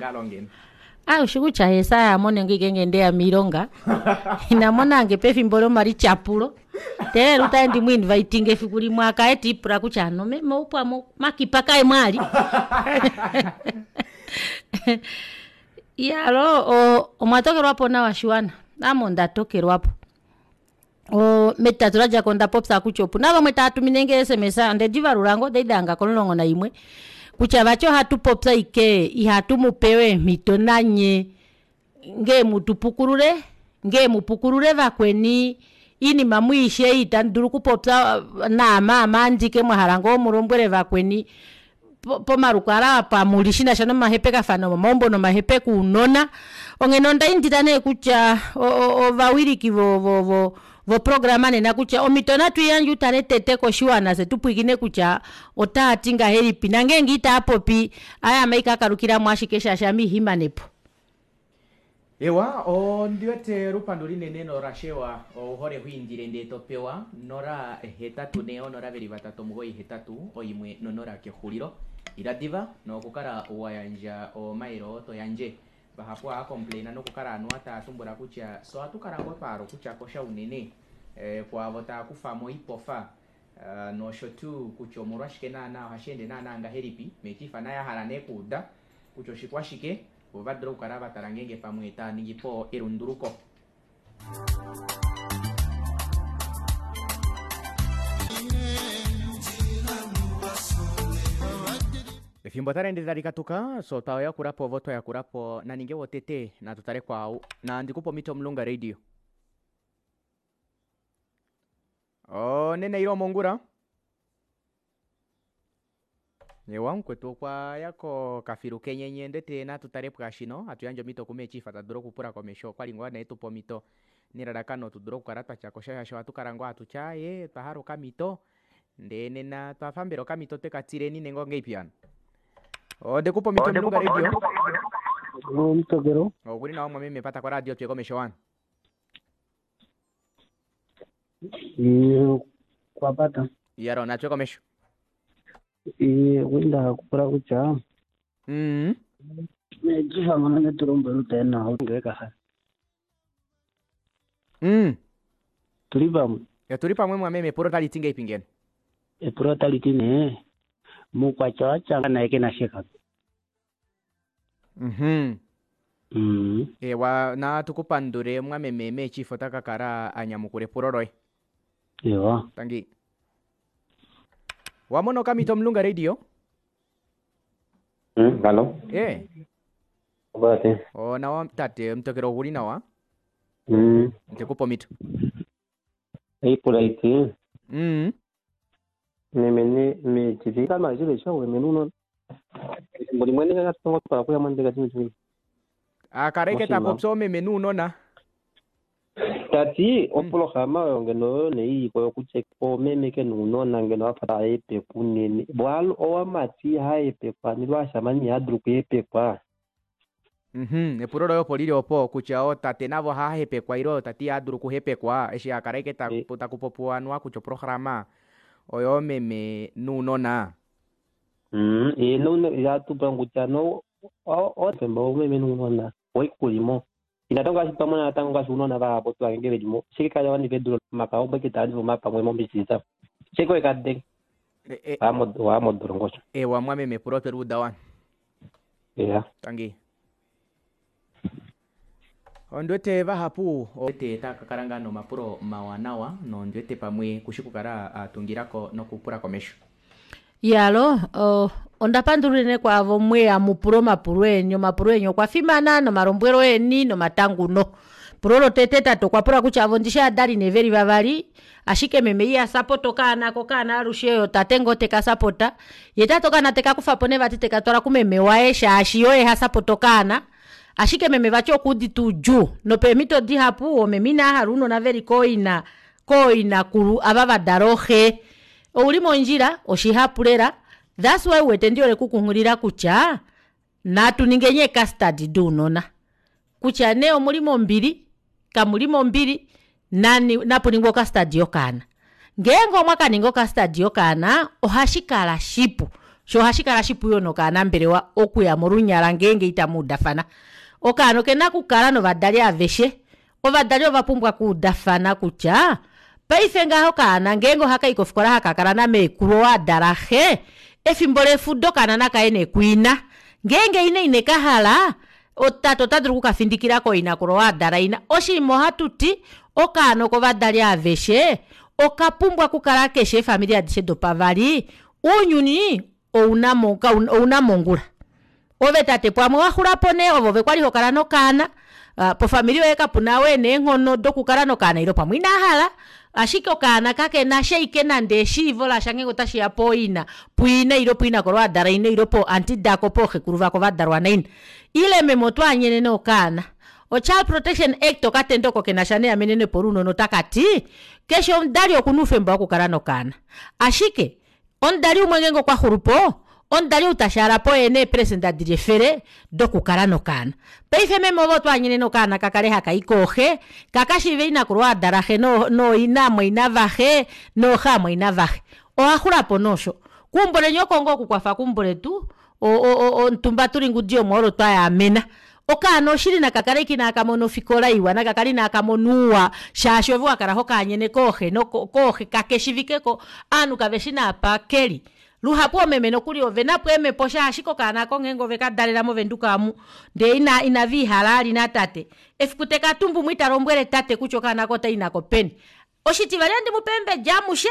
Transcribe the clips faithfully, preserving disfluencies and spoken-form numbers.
Eengalo ngeno. Ah, ushi kutya Yesaya amone nge ngenge ndeya miilonga inamonange pefimbo lomalidjapulo ndele lutaye ndimu invitinga efiku limwe akaye tiipula kutya ano meme oupwamo makipa kaye mwali iyalo omwa tokelwapo nawa shiwana ame onda tokelwapo oo metitatu ladjako onda popya kutya opuna vamwe taatumine ee S M S ondedivalula ngoo okwali dahanga komulongo naimwe kutya vati ohatupopi ashike ihatumupe eemito nanye ngee mutupukulule ngee mupukulule vakweni oinima muishi ei itamudulu okupopya naame aame andike mwahala ngoo mulombwele vakweni pomalukalwa apa muli shinasha nomahepekafano omomaumbo nomahepeko ounona onghene ondaindila nee kutya ovawiliki vo- vo voprograma nena kutya omito natwiiyandje utale tete koshiwana fyee tupwiikine kutya otaati ngahelipi nongenge itaapopi aaye ame haikakalukilamo ashike shaashi ame ihimanepo. Ewa ondiwete olupandu linene nolashewa ouhole hwiindile ndee topewa nola hetatu ne onola veli vatatu omugoyi hetatu oimwe nonola kexulilo ila diva nokukala wayandja omailo oo toyandje vahapu ohava nokukala anuwa taya tumbula kutya so ohatu kala ngoo twahala okutya kosha unene eh, kwaavo taya kufamo oipofa uh, nosho tuu kutya omolwashike naana ohashi ende naana ngahelipi mechifa naye ahala nee kuuda kutya oshikwashike vo vadule okukala vatala ngeenge pamwe taya ningipo elunduluko. Efimbo otali ende tali katuka so twayakulapo ovo twayakulapo naninge wotete natutale kwaau nandikupe omito omulunga radio. Onena ile omongula eewa mukwetu okwaya kokafilu kenyenye ondiwete natu tale pwaashino hatu yandje omito ku mee chief tadulu okupula komesho okwali ngoo nee etupa omito nelalakano tudule okukala twatyakosha shaashi ohatukala ngoo hatuti aaye otwa hala okamito ndee nena otwafa mbela okamito twekatileni nenge ongahelipi hano ondekupa omito omulunga radio Omutokelo okuli nawa mwameme pata ko radio tuye komesho wani iye kwapata iyalo natuye komesho iye kwinda kupula kutya mm mechifa ngono netulombwela utaye nawo ngeke mm tuli pamwe tuli pamwe mwameme epulo otali ti ngahelipi ngeno epulo otali ti nee mukwatya watya naye kena sheka mhm mm ewa natukupandule mwameme mechief ota kakala anyamukula epulo loye ewa tangi wamona okamito omulunga radio Mm, halo. e Obate. onawa tate omutokelo oguli nawa Mm. ntekupa omito Eipula iti mm meme ne me chivi kama chile chawe menuno. Ethimbo limwe ne katongo twala kuya mwandeka chimwe chimwe. akareke Moshima. tapopya omeme nuunona Tati opoloxama oyo ngeno oyo ne iiko yokutya oomeme ke nuunona ngeno afa taepekwa unene. Bwalo owamati haepekwa nilo ashamani ihadulu okuepekwa. Mhm, epulo loye opo lili opo kutya ootate navo ohahepekwa ile ootate ihadulu okuhepekwa eshi akala ashike taku takupopiwa anuwa kutya oprograma oyo meme nuunona. Mm, ye no yatupa kutya no otemba omeme nuunona oikulimo. Inatango ngaashi twamona natango ngaashi uunona vahapu twangenge velimo shike kaya wanifa edulo maka obweke taanifa omapamwe mombisisa shike wekadenge E- e- waamodolongo osho ewa mwameme epulo tweluuda wani eya tangi ondiwete vahapu ete takakala ngaa nomapulo mawanawa nondiwete pamwe kushi kukala atungilako nokupula komesho Iyalo oh, onda pandula unene kwaavo mweya mupule omapulo eni omapulo eni okwa fimana nomalombwelo eni nomatanguno pulo lotete tate okwa pula kutya avo ndishi adali nee veli vavali ashike meme iha sapota okaana ko okaana alushe oyo tate ngoo tekasapota ye tate okaana tekakufapo nee vati tekatwala kumeme waye shaashi oye hasapota okaana ashike meme vati okuudite oudjuu nopeemito dihapu omeme inahala ounona veli kooina kooinakulu ava vadala ooxe ouli mondjila oshihapu lela that's why uwete ndihole okukunghulila kutya natu ningeni ee custard dounona kutya nee omuli mombili kamuli mombili nani napuningwe o custard yokaana ngeenge omwakaninga o custard yokaana ohashikala shipu. Shoo ohashikala shipu yoo nokaanambelewa okuya molunyala ngeenge itamuudafana. Okaana okena okukala novadali aveshe, ovadali ovapumbwa okuudafana kutya paife ngaha okaana ngeenge ohakayi kofikola hakakala namekulu oo adala xe efimbo lefudo okaana nakaye nee kuina ngeenge ina inekahala tate otadulu okukafindikila kooinakulu oo adala ina oshiima ohatuti okaana okovadali aaveshe okapumbwa okukala keshi eefamili adishe dopavali ounyuni ouna ouna mongula ove tate pamwe waxulapo nee ove oove kwali hokala nokaana pofamili yoye kapuna ou ena eenghono dokukala nokaana ile pamwe inahala ashike okaana kakenasha ashike nande eshiivo lasha ngenge otashiya pooina puina ile puinakulu oo adala ina ile poo aunty dako pooxekulu vako vadalwa naina ile meme otwaanyene nee okaana o child protection act okatendo oko kenasha neamenenepo lounona otakati keshe omudali okuna oufemba wokukala nokaana ashike omudali umwe ngeenge okwaxulupo omudali ou tashaalapo oye ena eeprecenter dili efele dokukala nokaana. Paife meme ove otwaanyene nee okaana kakale hakayi kooxe kakashiive inakulu oo adalaxe nooina amwaina vaxe nooxe amwaina vaxe owaxulapo nee osho keumbo leni oko ngoo okukwafa keumbo letu o- o- omutumba tuli ngudi yomwoolo twayaamena okaana oshili naka kale ashike inakamona ofikola iwa nakakale inakamona ouwa shaashi ove wakala hokaanyene kooxe kooxe kakeshiivikeko ovanhu kaveshi naapa keli luhapu oomeme nokuli ovenapo eemepo shaashi okaana aako ngeenge ovekadalela mo venduka aamu ndee inaviihala vali natate efiku tekatumbumo italombwele tate kutya okaana aako otayi nako peni oshitivali ohandimupe eembedi amushe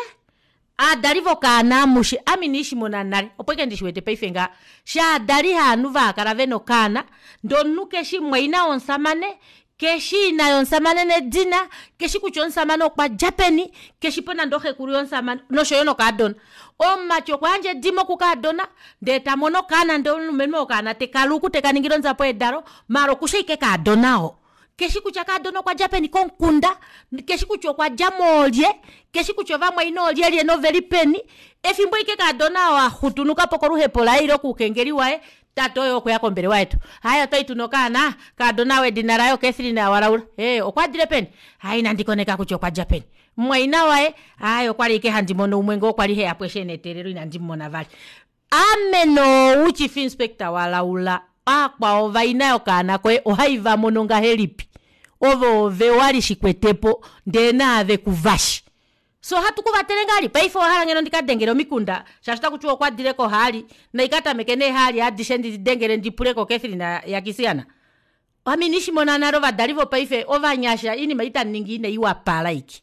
ovadali vokaana amushe ame ina ndishimona nale opo ashike ndishiwete paife ngaha shaadali haanhu vaakala vena okaana ndee omunhu keshi mumwaina womushamane keshi ina yomushamane nedina keshi kutya omushamane okwadja peni keshipo nande oxekulu yomushamane noshoyo nokaadona omumati okwayandja edimo kukaadona ndee tamono okaana ndee omulumenhu oo okaana tekaluku tekaningile odjapo yedalo maala okushi ashike kaadona oo keshi kutya kaadona okwadja peni komukunda keshi kutya okwadja moolye keshi kutya ovamwaina olyelye noveli peni efimbo ashike kaadona oo axutunukapo koluhepo laye ile koukengeli waye tate oye oo okweya kombelewa yetu aaye otwali tuna okaana kaadona ou edina laye o catherine walaula ee okwadile peni aaye inandi koneka kutya okwadja peni mumwaina waye aaye okwali ashike handi mono umwe ngoo kwali heyapo eshi ena eteelelo inandimumona vali ame nee ou chief inspector walaula aakwao vaina yokaana koye ohaivamono ngahelipi ove oove wali shikwetepo ndee naave kuvashi fyee ohatu kuvatele ngahelipi paife owahala ngeno ndikadengele omikunda shaashi otakutiwa okwadile kohaali naikatameke nee eehali adishe ndidengele ndipule ko catherine ya kisiana ame ina ndishimona nale ovadali vopaife ovanyasha oinima ei tamuningi ina iwapala aike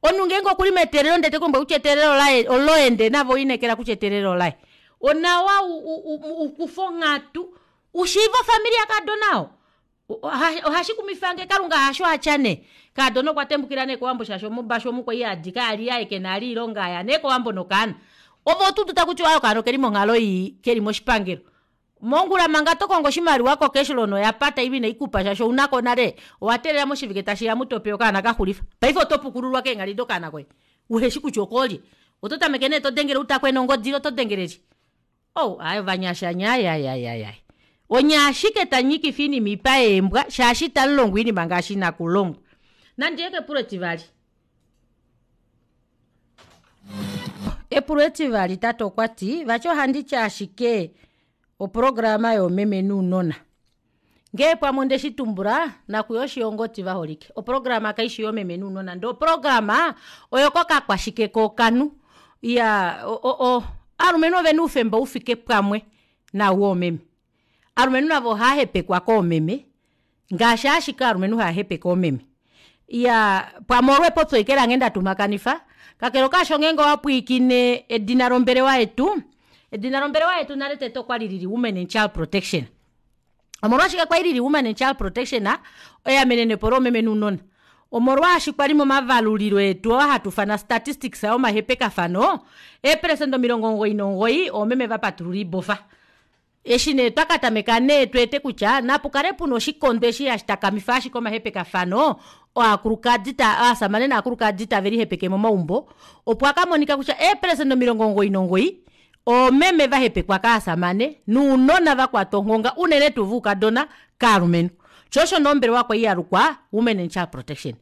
omunhu ngeenge okuli meteelelo ndee tekulombwele kutya eteelelo olaye oloye ndee nave owelineekela kutya eteelelo olaye onawa u- u- ukufe onghatu ushiive ofamili yakaadona oo ohashikumifange kalunga hasho atya nee kaadona okwa tembukila nee kowambo shaashi mobashu omu kwali hadi kayali yaye kena vali oilonga aya nee kowambo nokaana ove otoudu takutiwa aaye okaana okeli monghalo ii keli moshipangelo mongula manga tokongo oshimaliwa ko cashloan oyapata ile ineikupa shaashi ounako nale owateelela moshivike tashiya mutopewa okaana kaxulifa paife otopukululwa keenghali dokaana koye uheshi kutya okoolye ototameke nee todengele utakwena ongodi ile otodengele lyee ou aaye ovanyasha nye aaye aaye aaye onye ashike tamunyikifa oinima oipa yeembwa shaashi itamulongwa oinima ngaashi ina okulongwa nandiye kepulo etivali epulo etivali tate okwati vati ohanditi ashike oprograma yoomeme nounona ngee pamwe ondeshitumbula nakuye oshiyongoti vaholike oprograma kaifi yoomeme nounona ndee oprograma oyo kokakwashike kookanhu iyaa o- o ovalumenhu ovena oufemba ufike pamwe naau woomeme ovalumenhu navo ohaahepekwa koomeme ngaashi ashike ovalumenhu haahepeke oomeme iyaa pamwe olo epopyo ashike lange ndatumakanifa kakele okaasho ngeenge owapwiikine edina lombelewa yetu edina lombelewa yetu nale tete okwali lili women and child protection omolwashike kwali lili women and child protection eamenenepo loomeme nounona omolwaashi kwali momavalulilo etu oo hatuufana statistics omahepekafano eeprecenter omilongo omugoyi nomugoyi oomeme vapatulula oibofa eshi nee twakatameka nee tweete kutya napukale puna oshikondo eshi hashi takamifa ashike omahepekafano ovakulukadi ovashamane novakulukadi tavelihepeke momaumbo opo akamonika kutya eeprecenter omilongo omugoyi nomugoyi oomeme vahepekwa kovashamane nounona vakwatwa onghonga unene tuu voukadona kovalumenhu shoo osho nee ombelewa kwali yalukwa women and child protection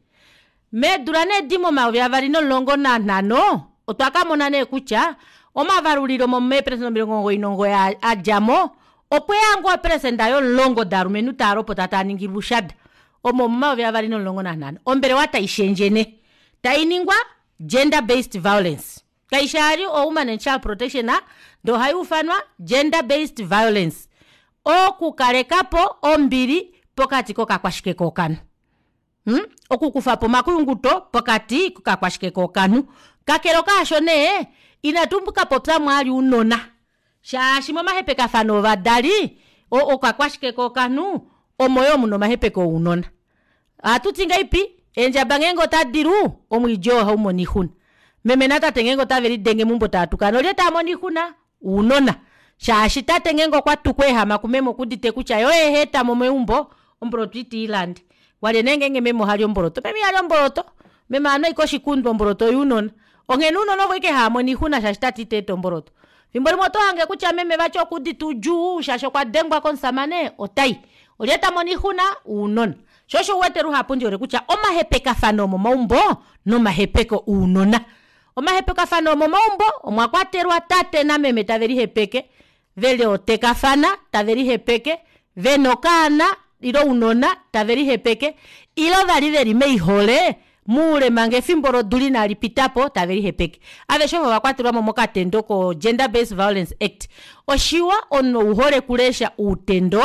meedula nee edi momayovi avali nomulongo nanhano otwa kamona nee kutya Omavalulilo meeperesenda omilongo omugoyi nomugoyi adjamo opweya ngoo operesenda yomulongo dalumenhu taalopota taaningilwa oushada omo omomayovi avali nomulongo nanhano ombelewa taishendje nee tainingwa gender based violence kaishi vali o woman and child protection ndee ohayuufanwa gender based violence okukalekapo ombili pokati kokakwashike kookanhu mm okukufapo omakuyunguto pokati kokakwashike kookanhu kakele kaasho nee ina tukapopyamo vali ounona shaashi momahepekafano ovadali okakwashike kookanhu omo yoo muna omahepeko ounona ohatuti ngahelipi eendjaba ngenge otadilu omwiidi oo ohaumono oixuna meme natate ngenge otavelidenge meumbo taatukana olye tamono oixuna ounona shaashi tate ngeenge okwatuku ayehama kumeme okuudite kutya yee oye haetamo meumbo omboloto iteilande walye nee ngenge meme ohali omboloto meme ihali omboloto meme ohanu ashike oshikundu omboloto oyounona onghene ounona ovo ashike haamono oixuna shaashi tate itaeta omboloto efimbo limwe otohange kutya meme vati okuudite oudjuu shaashi okwadengwa komushamane otayi olye tamono oixuna ounona shoo osho uwete luhapu ndihole kutya omahepekafano omomaumbo nomahepeko ounona omahepekafano omomaumbo omwakwatelwa tate nameme tavelihepeke velootekafana tavelihepeke vena okaana ile ounona tavelihepeke ile vali veli moihole moule manga efimbo lodula inalipitapo tavelihepeke aveshe ovo ovakwatelwamo mokatendo ko gender based violence act oshiwa omunhu ouhole okulesha outendo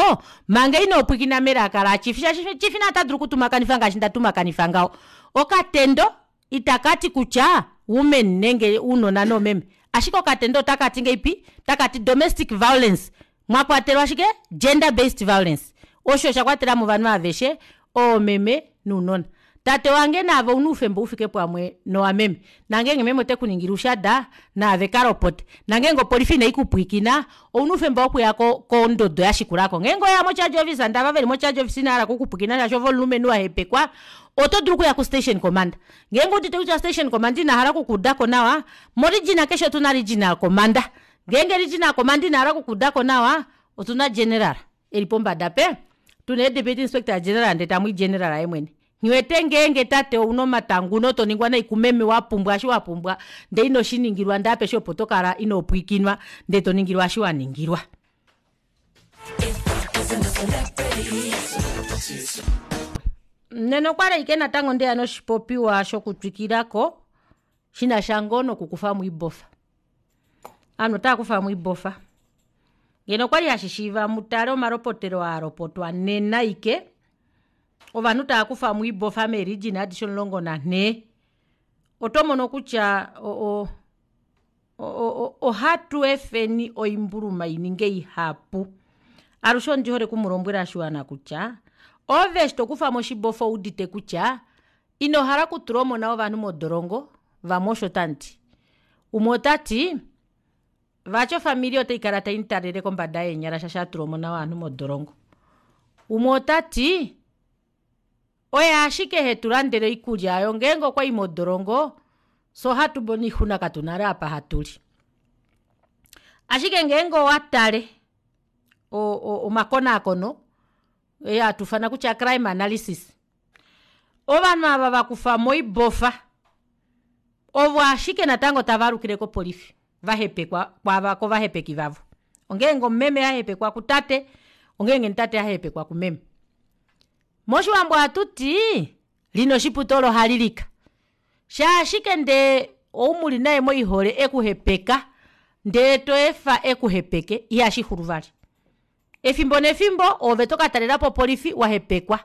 manga inopwiikina melaka la chief shaashi chief naye otadulu okutumakanifa ngaashi ndatumakanifa ngaho okatendo itakati kutya women nenge ounona noomeme ashike okatendo otakati ngahelipi otakati domestic violence mwakwatelwa shike gender based violence osho osha kwatelamo ovanhu aveshe oomeme nounona tate wange naave ouna oufemba ufike pamwe nowameme nongenge meme otekuningile oushada naave kalopote nongenge opolifi ine ikupwiikina ouna oufemba wokuya kondodo yashikulako ngeenge oweya mo charge officer ndee ava veli mo charge office inavahala okukupwiikina shaashi ove omulumenhu wahepekwa oto dulu okuya ko station commander ngeenge owuudite kutya station commander inahala okukuudako nawa mo region keshe otuna regional commander ngeenge regional commander inahala okukuudako nawa otuna general eli pombada pe tuna ee deputy inspector general ndee tamwii general yeemwene nghiwete ngenge tate ouna omatanguno toningwa nai kumeme wapumbwa eshi wapumbwa ndee inoshiningilwa ndee apeshe opo tokala ino pwiikinwa ndee toningilwa eshi waningilwa nena okwali ashike natango ndeya noshipopiwa shokutwikilako shinasha ngoo nokukufamo oibofa ovanhu otaakufamo oibofa ngeno okwali hashishiiva mutale omalopotelo aalopotwa nena ashike ovanhu taakufamo oibofa mee region adishe omulongo nanhee otomono kutya o- o- ohatu efeni oimbuluma ininge ihapu alushe ondihole okumulombwela oshiwana kutya ove eshi tokufamo oshibofa owuudite kutya inohala okutula omona wovanhu modolongo vamwe osho tamuti umwe otati vati ofamili otaikala taimutalele kombada yeenyala shaashi atula omona wovanhu modolongo umwe otati oye ashike hetulandele oikulya aayo ngeenge okwayi modolongo fyee ohatumono oixuna katuna vali apa hatuli ashike ngeenge owatale omakonaakono ee hatuufana kutya crime analysis ovanhu ava vakufamo oibofa ovo ashike natango tavaalukile kopolifi vahepekwa kwaava kovahepeki vavo ongenge omumeme ahepekwa kutate ongenge tate ahepekwa kumeme moshiwambo ohatuti lina oshipute olo ohalilika shaashike ndee oumuli naye moihole ekuhepeka ndee toefa ekuhepeke ihashixulu vali efimbo nefimbo oove tokatalelapo opolifi wahepekwa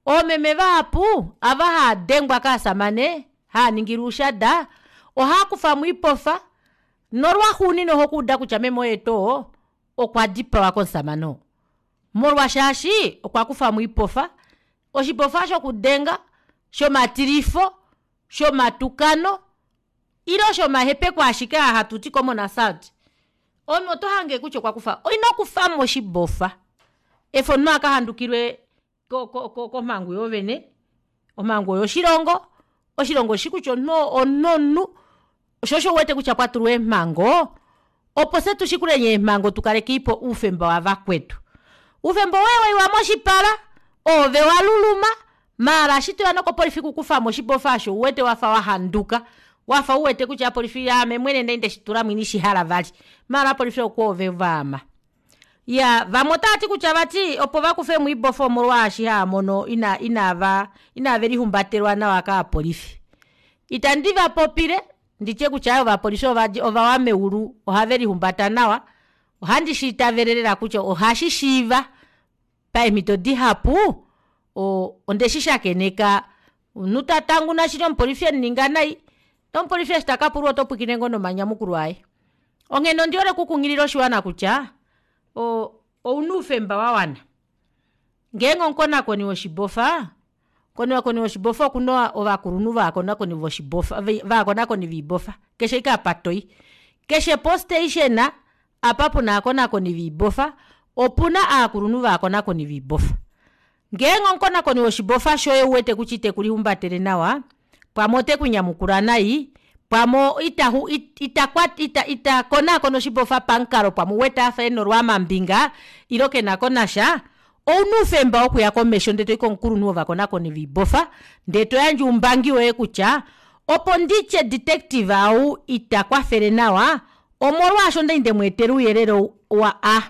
oomeme vahapu ava haadengwa kovashamane haaningilwa oushada ohaakufamo oipofa nolwaxuuninwa ohokuuda kutya meme oo oo okwadipawa komushamane oo molwa shaashi okwakufamo oipofa oshipofa shokudenga shomatilifo shomatukano ile shomahepeko ashike aa hatuti common assault omunhu otohange kutya okwakufa inokufamo oshibofa efa omunhu akahandukilwe ko- ko komhangu yoovene omhangu oyoshilongo oshilongo oshishi kutya omunhu omunhu omunhu shoo osho uwete kutya pwatulwa eemhango opo fyee tushikuleni eemhango tukalekeipo oufemba wavakwetu oufemba woye waiwa moshipala ove waluluma maala eshi toya nokopolifi okukufamo oshibofa aasho ouwete wafa wahanduka Wafa uwete kutya opolifi aame mwene ndali ndeshitulamo ina shihala vali maala opolifi okwoove vaama. Iyaa vamwe otaati kutya vati opo vakufwemo oibofa omolwaashi haamono ina inava inavelihumbatelwa nawa kaapolifi ita ndivapopile nditye kutya aaye ovapolifi ovawa meulu ohave lihumbata nawa ohandi shiitavele lela kutya ohashishiiva paemito dihapu oo ondeshi shakeneka omunhu tatanguna shili omupolifi emuninga nai ndee omupolifi eshi takapulwa otopwiikine ngoo nomanyamukulo aye onghene ondihole okukunghilila oshiwana kutya oo ouna oufemba wawana ngeenge omukonakoni woshibofa omukonakoni woshibofa okuna ovakulunhu vovakonakoni voshibofa vovakonakoni voibofa keshe ashike apa toyi keshe po station apa puna ovakonakoni voibofa opuna aakulunhu vovakonakoni voibofa ngeenge omukonakoni woshibofa shoye ouwete kutya itekulihumbatele nawa pamwe otekunyamukula nai pamwe ita ita ita konaakona oshibofa pamukalo pamwe ouwete afa ena olwaamambinga ile kenakonasha ouna oufemba wokuya komesho ndee toyi komukulunhu wovakonakoni voibofa ndee toyandje oumbangi woye kutya opo nditye detective ou itakwafele nawa omolwaasho okwali ndemweetela ouyelele wa a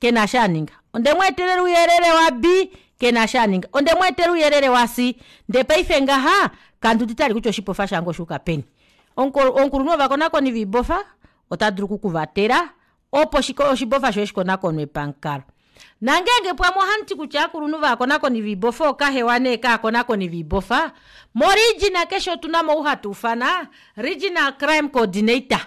kena eshi aninga ondemweetela ouyelele wa b kena eshi aninga ondemweetela ouyelele wa c ndee paife ngaha kanduudite vali kutya oshibofa shange oshuuka peni omukulunhu wovakonakoni voibofa otadulu okukuvatela opo oshibofa shoye shikonakonwe pamukalo nongenge pamwe ohamuti kutya ovakulunhu vovakonakoni voibofa ookahewa nee kaakonakoni voibofa mo region keshe otunamo ou hatuufana regional crime coordinator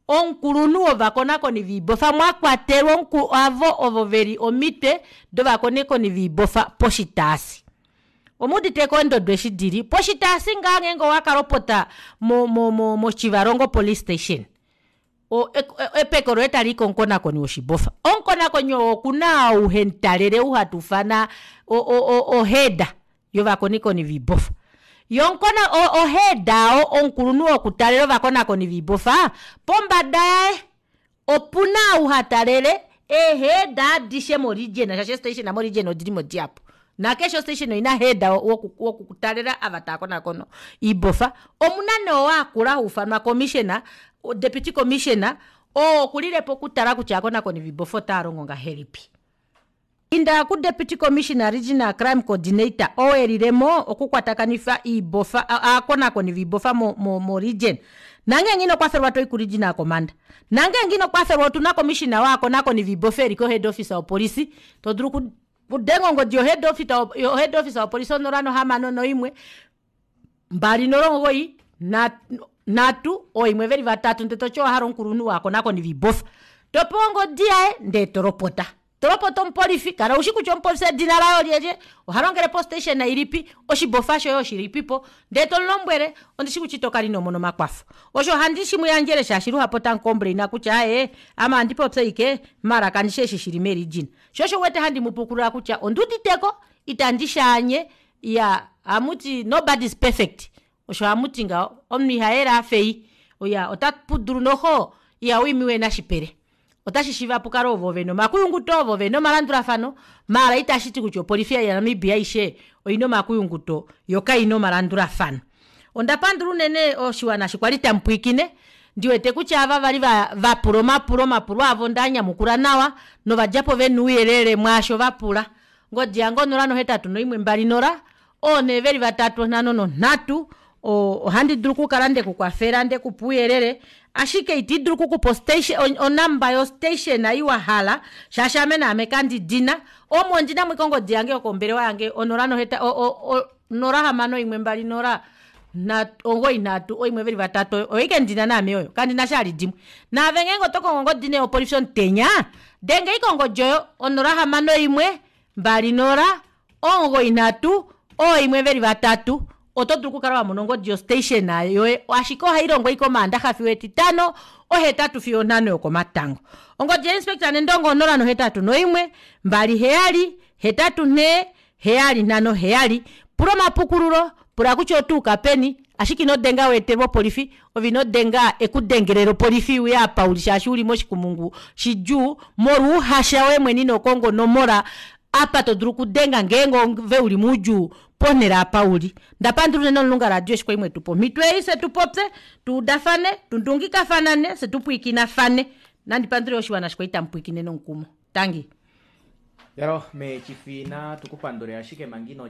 omukulunhu wovakonakoni voibofa mwakwatelwa avo ovo veli omitwe dovakonakoni voibofa poshitaasi omuuditeko eendodo eshi dili poshitaasi ngaho ngenge owakalopota mo- mo motjiwarongo police station o- epeko loye talii komukonakoni woshibofa omukonakoni oo okuna ou hemutalele ou hatuufana o- o- o head yovakonakoni voibofa yee o head oo omukulunhu wokutalela ovakonakoni voibofa pombada yaye opuna ou hatalele ee head adishe mo region shaashi ee station mo region odilimo dihapu nakeshe o station oina head woku woku talela ava taakonakona oibofa omuna nee oo akula haufanwa commissioner deputy commissioner oo okulilepo okutala kutya ovakonakoni voibofa otaalongo ngahelipi inda ku deputy commissioner regional crime coordinator oo elilemo oku kwatakanifa oibofa ovakonakoni voibofa mo mo region nongenge inokwafelwa toyi ku regional commander nongenge inokwafelwa otuna commissioner wovakonakoni voibofa eli ko head office yopolifi todulu okudenga ongodi yo head office yo head office yopolifi onola nohamano noimwe mbali nola omugoyi nhatu ooimwe veli vatatu ndee toti owahala omukulunhu wovakonakoni voibofa topewa ongodi yaye ndee tolopota tolopota omupolifi kala ushi kutya omupolifi edina laye olyelye ohalongele po station ilipi oshibofa shoye oshilipipo ndee tomulombwele ondishi kutya itokala inomona omakwafo osho ohandi shimuyandjele shaashi luhapu otamu complaina kutya aaye ame ohandipopyu ashike maala kandishi eshi shili mee region shoo osho uwete handi mupukulula kutya onduuditeko ita ndishaanye iyaa hamuti nobody is perfect osho hamuti ngaho omunhu ihayele afa ei iyaa otapudulu noxo ihawiimiwa nashipele otashishiiva pukale ovo vena omakuyunguto ovo vena omalandulafano maala itashiti kutya opolifi ya namibia aishe oina omakuyunguto yoo kaina omalandulafano ondapandula unene oshiwana eshi kwali tamupwiikine ndiwete kutya ava vali vapula omapulo omapulo avo ondaanyamukula nawa novadjapo vena ouyelele mwaasho vapula ongodi yange onola nohetatu noimwe mbali nola oonhe veli vatatu onhano nonhatu ohandi dulu okukala ndekukwafela ndekupa ouyelele ashike ita ndidulu okukupa o number yo station ei wahala shaashi ame naame kandidina omo ondinamo ashike ongodi yange yokombelewa yange onola noheta onola hamano imwe mbali nola omugoyi nhatu ooimwe veli vatatu oyo ashike ndina naame oyo kandinasha vali dimwe naave ngenge otokongo ongodi nee yopolifi omutenya denga ashike ongodi oyo onola hamano imwe mbali nola omugoyi nhatu ooimwe veli vatatu oto dulu okukala wamona ongodi yo station yoye ashike ohailongo ashike omandaxa fiyo etitano ohetatu fiyo onhano yokomatango ongodi ya inspector nendongo onola nohetatu noimwe mbali heyali hetatu nhee heyali nhano heyali pula omapukululo pula kutya otayuka peni ashike ino denga weetelwe opolifi ove inodenga ekudengelele opolifi iuye apa uli shaashi uli moshikumungu shidjuu molwa ouhasha woye mwene inokonga onomola apa todulu okudenga ngeenge ove uli moudjuu Ponhele apa uli ndapandula unene omulunga radio eshi kwali mwetupa omhito ei fye tupopye tuudafane tundungikafanane fye tupwiikinafane nandipandule oshiwana shikwali tamupwiikine nomukumo tangi Yalo mechifina tukupandule ashike mangino